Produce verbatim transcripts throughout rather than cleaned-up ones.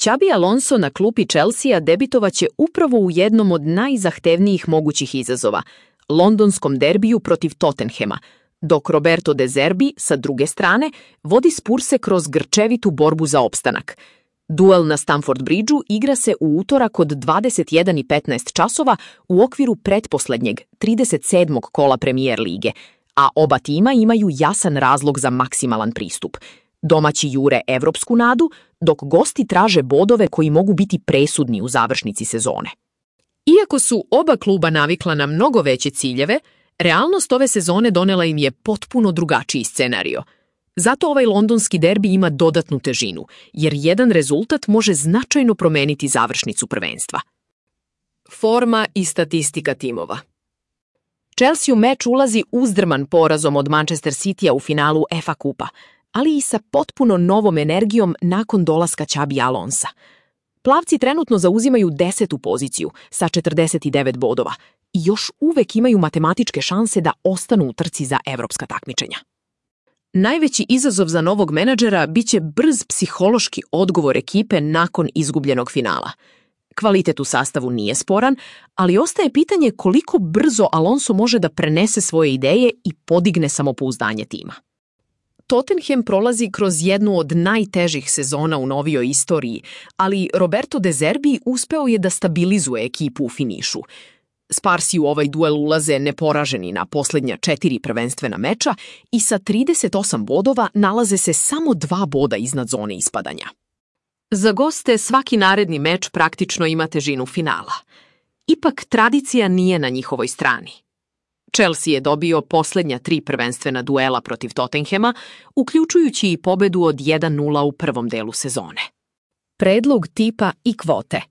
Xabi Alonso na klupi Chelsea debitovaće upravo u jednom od najzahtevnijih mogućih izazova, londonskom derbiju protiv Tottenhema, dok Roberto De Zerbi, sa druge strane, vodi Spurse kroz grčevitu borbu za opstanak. Duel na Stamford Bridgeu igra se u utorak od dvadeset jedan i petnaest časova u okviru pretposlednjeg, trideset sedmog kola Premier lige, a oba tima imaju jasan razlog za maksimalan pristup. Domaći jure evropsku nadu, dok gosti traže bodove koji mogu biti presudni u završnici sezone. Iako su oba kluba navikla na mnogo veće ciljeve, realnost ove sezone donela im je potpuno drugačiji scenario. Zato ovaj londonski derbi ima dodatnu težinu, jer jedan rezultat može značajno promeniti završnicu prvenstva. Forma i statistika timova. Chelsea u meč ulazi uzdrman porazom od Manchester Citya u finalu F A kupa, ali i sa potpuno novom energijom nakon dolaska Xabi Alonsa. Plavci trenutno zauzimaju desetu poziciju sa četrdeset devet bodova i još uvek imaju matematičke šanse da ostanu u trci za evropska takmičenja. Najveći izazov za novog menadžera biće brz psihološki odgovor ekipe nakon izgubljenog finala. Kvalitet u sastavu nije sporan, ali ostaje pitanje koliko brzo Alonso može da prenese svoje ideje i podigne samopouzdanje tima. Tottenham prolazi kroz jednu od najtežih sezona u novijoj istoriji, ali Roberto De Zerbi uspeo je da stabilizuje ekipu u finišu. Sparsi u ovaj duel ulaze neporaženi na posljednja četiri prvenstvena meča i sa trideset osam bodova nalaze se samo dva boda iznad zone ispadanja. Za goste svaki naredni meč praktično ima težinu finala. Ipak tradicija nije na njihovoj strani. Chelsea je dobio posljednja tri prvenstvena duela protiv Tottenhema, uključujući i pobedu od jedan nula u prvom delu sezone. Predlog tipa i kvote.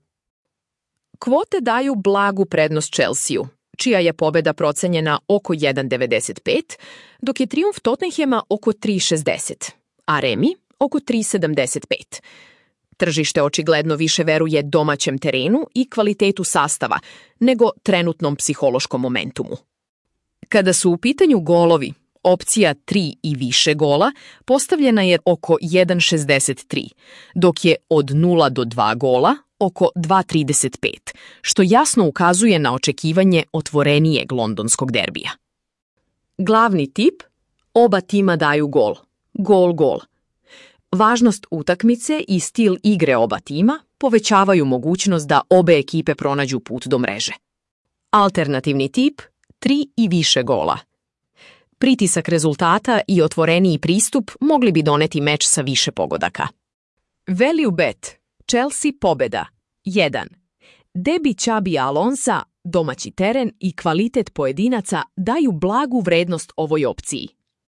Kvote daju blagu prednost Chelsea-u, čija je pobeda procenjena oko jedan devedeset pet, dok je trijumf Tottenhema oko tri šezdeset, a remi oko tri sedamdeset pet. Tržište očigledno više veruje domaćem terenu i kvalitetu sastava nego trenutnom psihološkom momentumu. Kada su u pitanju golovi, opcija tri i više gola postavljena je oko jedan šezdeset tri, dok je od nula do dva gola oko dva trideset pet, što jasno ukazuje na očekivanje otvorenijeg londonskog derbija. Glavni tip: oba tima daju gol. Gol, gol. Važnost utakmice i stil igre oba tima povećavaju mogućnost da obe ekipe pronađu put do mreže. Alternativni tip: tri i više gola. Pritisak rezultata i otvoreniji pristup mogli bi doneti meč sa više pogodaka. Value bet: Chelsea pobeda jedan. Debi Xabi Alonsa, domaći teren i kvalitet pojedinaca daju blagu vrednost ovoj opciji